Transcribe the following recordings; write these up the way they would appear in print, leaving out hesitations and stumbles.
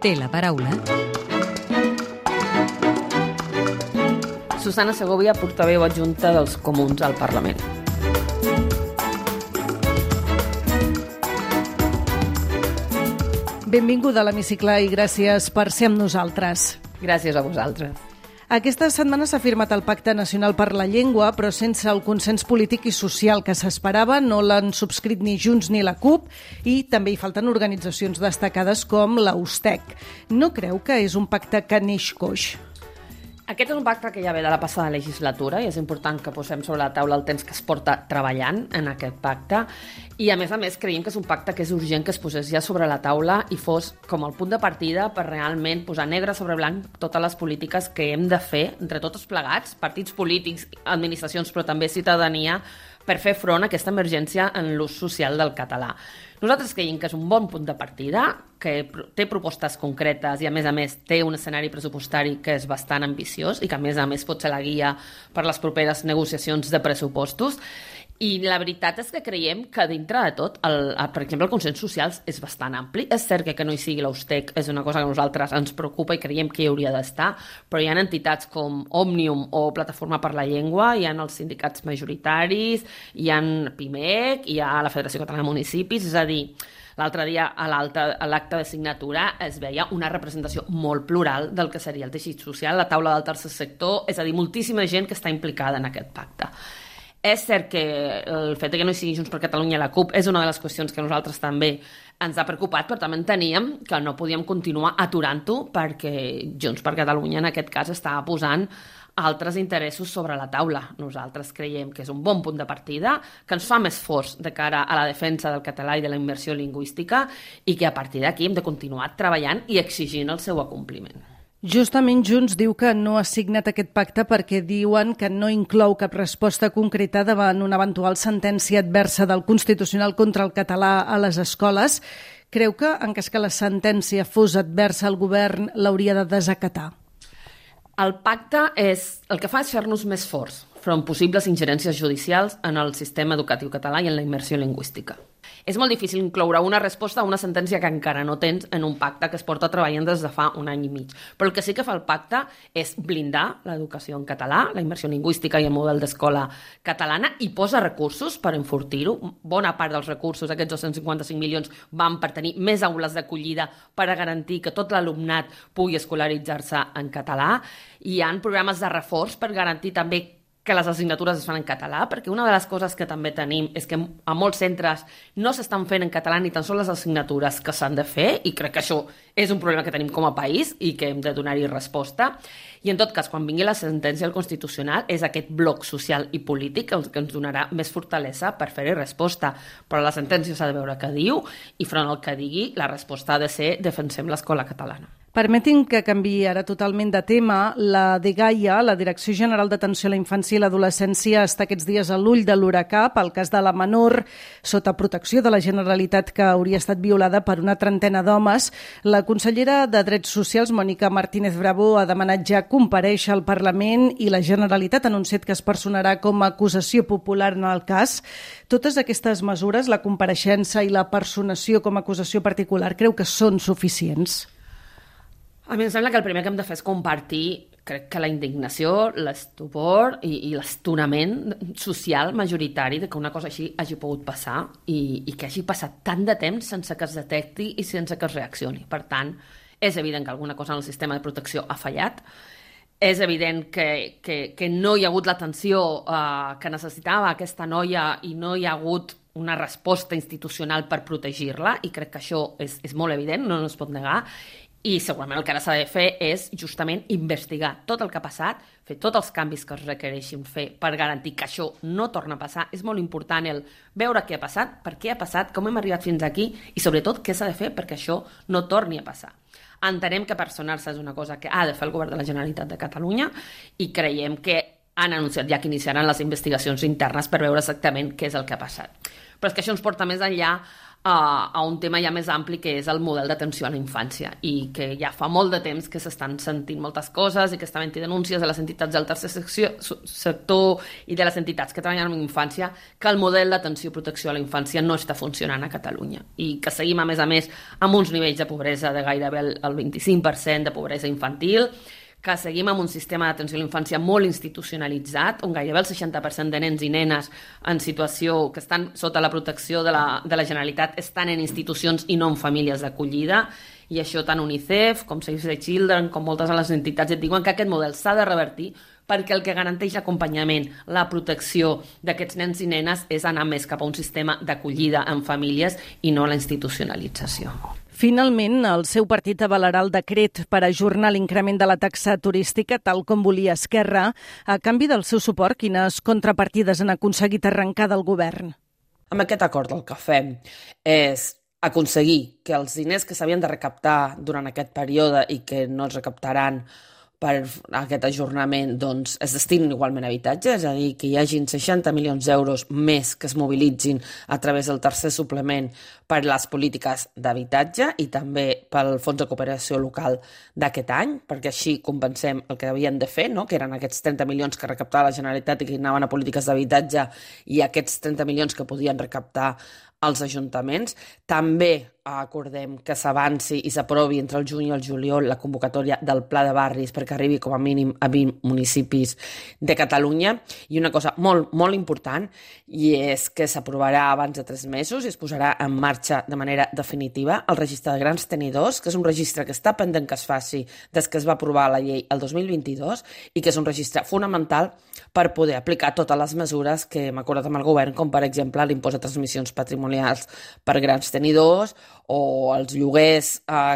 Té la paraula Susana Segovia, portaveu adjunta dels Comuns al Parlament. Benvinguda a l'Hemicicle i gràcies per ser amb nosaltres. Gràcies a vosaltres. Aquesta setmana s'ha firmat el Pacte Nacional per la Llengua, però sense el consens polític i social que s'esperava. No l'han subscrit ni Junts ni la CUP i també hi falten organitzacions destacades com la USTEC. No creu que és un pacte que neix coix? Aquest és un pacte que ja ve de la passada legislatura i és important que posem sobre la taula el temps que es porta treballant en aquest pacte i a més creiem que és un pacte que és urgent que es posés ja sobre la taula i fos com el punt de partida per realment posar negre sobre blanc totes les polítiques que hem de fer entre tots plegats, partits polítics, administracions però també ciutadania, per fer front a aquesta emergència en l'ús social del català. Nosaltres creiem que és un bon punt de partida, que té propostes concretes i a més té un escenari pressupostari que és bastant ambiciós i que a més pot ser la guia per les properes negociacions de pressupostos. I la veritat és que creiem que dintre de tot, per exemple, el consens social és bastant ampli. És cert que no hi sigui l'USTEC és una cosa que a nosaltres ens preocupa i creiem que hi hauria d'estar, però hi ha entitats com Òmnium o Plataforma per la Llengua, hi ha els sindicats majoritaris, hi ha PIMEC, hi ha la Federació Catalana de Municipis, és a dir, l'altre dia a l'acte de signatura es veia una representació molt plural del que seria el teixit social, la taula del tercer sector, és a dir, moltíssima gent que està implicada en aquest pacte. És cert que el fet que no hi sigui Junts per Catalunya i la CUP és una de les qüestions que a nosaltres també ens ha preocupat, però també enteníem que no podíem continuar aturant-ho perquè Junts per Catalunya en aquest cas estava posant altres interessos sobre la taula. Nosaltres creiem que és un bon punt de partida, que ens fa més forts de cara a la defensa del català i de la immersió lingüística i que a partir d'aquí hem de continuar treballant i exigint el seu acompliment. Justament Junts diu que no ha signat aquest pacte perquè diuen que no inclou cap resposta concreta davant una eventual sentència adversa del Constitucional contra el català a les escoles. Creu que, en cas que la sentència fos adversa, el govern l'hauria de desacatar? El pacte el que fa és fer-nos més forts front possibles ingerències judicials en el sistema educatiu català i en la immersió lingüística. És molt difícil incloure una resposta a una sentència que encara no tens en un pacte que es porta treballant des de fa un any i mig. Però el que sí que fa el pacte és blindar l'educació en català, la immersió lingüística i el model d'escola catalana i posa recursos per enfortir-ho. Bona part dels recursos, aquests 255 milions, van per tenir més aules d'acollida per a garantir que tot l'alumnat pugui escolaritzar-se en català. Hi ha programes de reforç per garantir també que les assignatures es fan en català, perquè una de les coses que també tenim és que a molts centres no s'estan fent en català ni tan sols les assignatures que s'han de fer, i crec que això és un problema que tenim com a país i que hem de donar-hi resposta. I en tot cas, quan vingui la sentència del Constitucional, és aquest bloc social i polític el que ens donarà més fortalesa per fer-hi resposta. Però la sentència s'ha de veure què diu i front al que digui, la resposta ha de ser defensem l'escola catalana. Permetin que canviï ara totalment de tema. La DGAIA, la Direcció General d'Atenció a la Infància i l'Adolescència, està aquests dies a l'ull de l'huracà pel cas de la menor sota protecció de la Generalitat que hauria estat violada per una trentena d'homes. La consellera de Drets Socials, Mònica Martínez Bravo, ha demanat ja comparèixer al Parlament i la Generalitat ha anunciat que es personarà com a acusació popular en el cas. Totes aquestes mesures, la compareixença i la personació com a acusació particular, creu que són suficients? A mi em sembla que el primer que hem de fer és compartir, crec que la indignació, l'estupor i l'estonament social majoritari de que una cosa així hagi pogut passar i que hagi passat tant de temps sense que es detecti i sense que es reaccioni. Per tant, és evident que alguna cosa en el sistema de protecció ha fallat, és evident que no hi ha hagut l'atenció que necessitava aquesta noia i no hi ha hagut una resposta institucional per protegir-la i crec que això és molt evident, no es pot negar. I segurament el que ara s'ha de fer és justament investigar tot el que ha passat, fer tots els canvis que es requereixin fer per garantir que això no torna a passar. És molt important el veure què ha passat, per què ha passat, com hem arribat fins aquí i sobretot què s'ha de fer perquè això no torni a passar. Entenem que personar-se és una cosa que ha de fer el govern de la Generalitat de Catalunya i creiem que han anunciat ja que iniciaran les investigacions internes per veure exactament què és el que ha passat. Però és que això ens porta més enllà a un tema ja més ampli, que és el model d'atenció a la infància, i que ja fa molt de temps que s'estan sentint moltes coses i que estan havent denúncies de les entitats del tercer sector i de les entitats que treballen amb infància, que el model d'atenció i protecció a la infància no està funcionant a Catalunya, i que seguim, a més, amb uns nivells de pobresa de gairebé el 25% de pobresa infantil, que seguim amb un sistema d'atenció a la infància molt institucionalitzat, on gairebé el 60% de nens i nenes en situació que estan sota la protecció de la Generalitat estan en institucions i no en famílies d'acollida, i això tant UNICEF com Save the Children com moltes de les entitats et diuen que aquest model s'ha de revertir, perquè el que garanteix l'acompanyament, la protecció d'aquests nens i nenes és anar més cap a un sistema d'acollida en famílies i no la institucionalització. Finalment, el seu partit avalarà el decret per ajornar l'increment de la taxa turística, tal com volia Esquerra. A canvi del seu suport, quines contrapartides han aconseguit arrencar del govern? Amb aquest acord el que fem és aconseguir que els diners que s'havien de recaptar durant aquest període i que no es recaptaran per aquest ajornament, doncs, es destinin igualment a habitatge, és a dir, que hi hagin 60 milions d'euros més que es mobilitzin a través del tercer suplement per les polítiques d'habitatge i també pel Fons de Cooperació Local d'aquest any, perquè així compensem el que havien de fer, no? Que eren aquests 30 milions que recaptava la Generalitat i que anaven a polítiques d'habitatge, i aquests 30 milions que podien recaptar als ajuntaments. També acordem que s'avanci i s'aprovi entre el juny i el juliol la convocatòria del Pla de Barris perquè arribi com a mínim a 20 municipis de Catalunya. I una cosa molt, molt important, i és que s'aprovarà abans de 3 mesos i es posarà en marxa de manera definitiva el registre de grans tenidors, que és un registre que està pendent que es faci des que es va aprovar la llei el 2022 i que és un registre fonamental per poder aplicar totes les mesures que hem acordat amb el govern, com per exemple l'impost de transmissions patrimonials per grans tenidors o els lloguers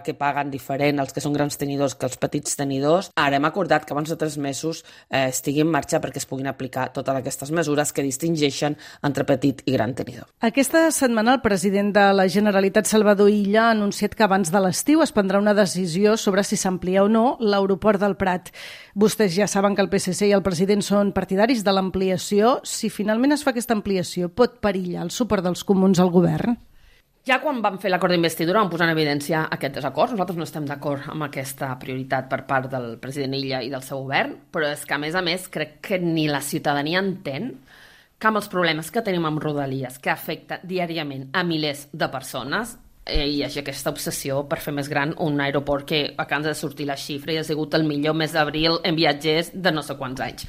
que paguen diferent els que són grans tenidors que els petits tenidors. Ara hem acordat que abans de 3 mesos estigui en marxa perquè es puguin aplicar totes aquestes mesures que distingeixen entre petit i gran tenidor. Aquesta setmana el president de la Generalitat, Salvador Illa, ha anunciat que abans de l'estiu es prendrà una decisió sobre si s'amplia o no l'aeroport del Prat. Vostès ja saben que el PSC i el president són partidaris de l'ampliació. Si finalment es fa aquesta ampliació, pot perillar el suport dels comuns al govern? Ja quan vam fer l'acord d'investidura vam posar en evidència aquest desacord. Nosaltres no estem d'acord amb aquesta prioritat per part del president Illa i del seu govern, però és que, a més, crec que ni la ciutadania entén que amb els problemes que tenim amb Rodalies, que afecta diàriament a milers de persones, hi hagi aquesta obsessió per fer més gran un aeroport que acaba de sortir la xifra i ha sigut el millor mes d'abril en viatgers de no sé quants anys.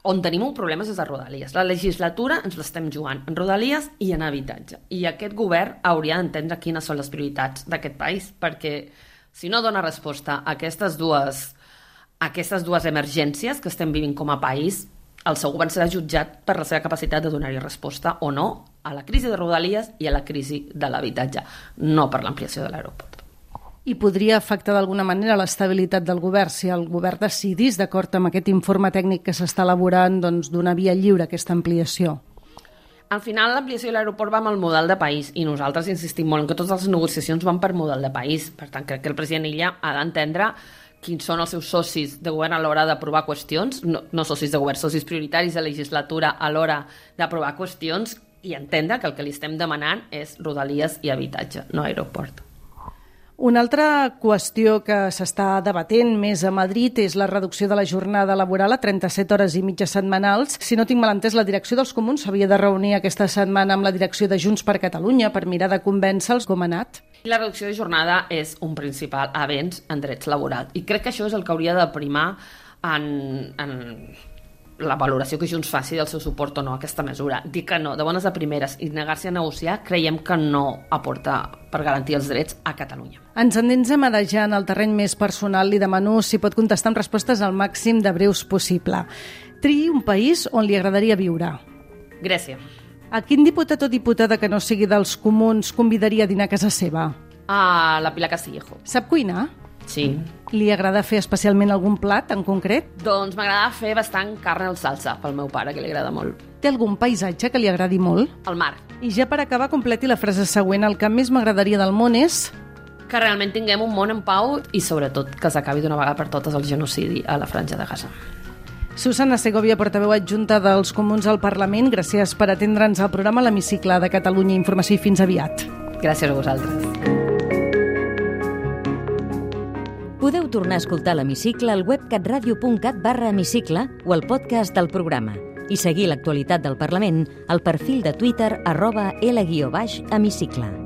On tenim un problema és a Rodalies. La legislatura ens l'estem jugant en Rodalies i en habitatge. I aquest govern hauria d'entendre quines són les prioritats d'aquest país, perquè si no dona resposta a aquestes dues emergències que estem vivint com a país, el seu govern serà jutjat per la seva capacitat de donar-hi resposta o no a la crisi de Rodalies i a la crisi de l'habitatge, no per l'ampliació de l'aeroport. I podria afectar d'alguna manera l'estabilitat del govern si el govern decidís, d'acord amb aquest informe tècnic que s'està elaborant, doncs, donar via lliure a aquesta ampliació? Al final, l'ampliació de l'aeroport va amb el model de país i nosaltres insistim molt en que totes les negociacions van per model de país. Per tant, crec que el president Illa ha d'entendre quins són els seus socis de govern a l'hora d'aprovar qüestions, no socis de govern, socis prioritaris de legislatura a l'hora d'aprovar qüestions, i entendre que el que li estem demanant és Rodalies i habitatge, no aeroport. Una altra qüestió que s'està debatent més a Madrid és la reducció de la jornada laboral a 37 hores i mitja setmanals. Si no tinc mal entès, la direcció dels comuns s'havia de reunir aquesta setmana amb la direcció de Junts per Catalunya per mirar de convèncer-los. Com ha anat? La reducció de jornada és un principal avenç en drets laborals i crec que això és el que hauria de primar en la valoració que Junts faci del seu suport o no a aquesta mesura. Dir que no, de bones a primeres, i negar-se a negociar, creiem que no aporta per garantir els drets a Catalunya. Ens endensem ara ja en el terreny més personal. Li demano si pot contestar amb respostes al màxim de breus possible. Triï un país on li agradaria viure. Grècia. A quin diputat o diputada que no sigui dels comuns convidaria a dinar a casa seva? A la Pilar Castillejo. Sap cuinar? Sí. Li agrada fer especialment algun plat en concret? Doncs m'agrada fer bastant carn al salsa, pel meu pare, que li agrada molt. Té algun paisatge que li agradi molt? El mar. I ja per acabar, completi la frase següent. El que més m'agradaria del món és... Que realment tinguem un món en pau i, sobretot, que s'acabi d'una vegada per totes el genocidi a la Franja de Gaza. Susana Segovia, portaveu adjunta dels Comuns al Parlament, gràcies per atendre'ns al programa L'Hemicicle de Catalunya Informació i fins aviat. Gràcies a vosaltres. Podeu tornar a escoltar l'Hemicicle al web catradio.cat/hemicicle o al podcast del programa i seguir l'actualitat del Parlament al perfil de Twitter @L_Hemicicle.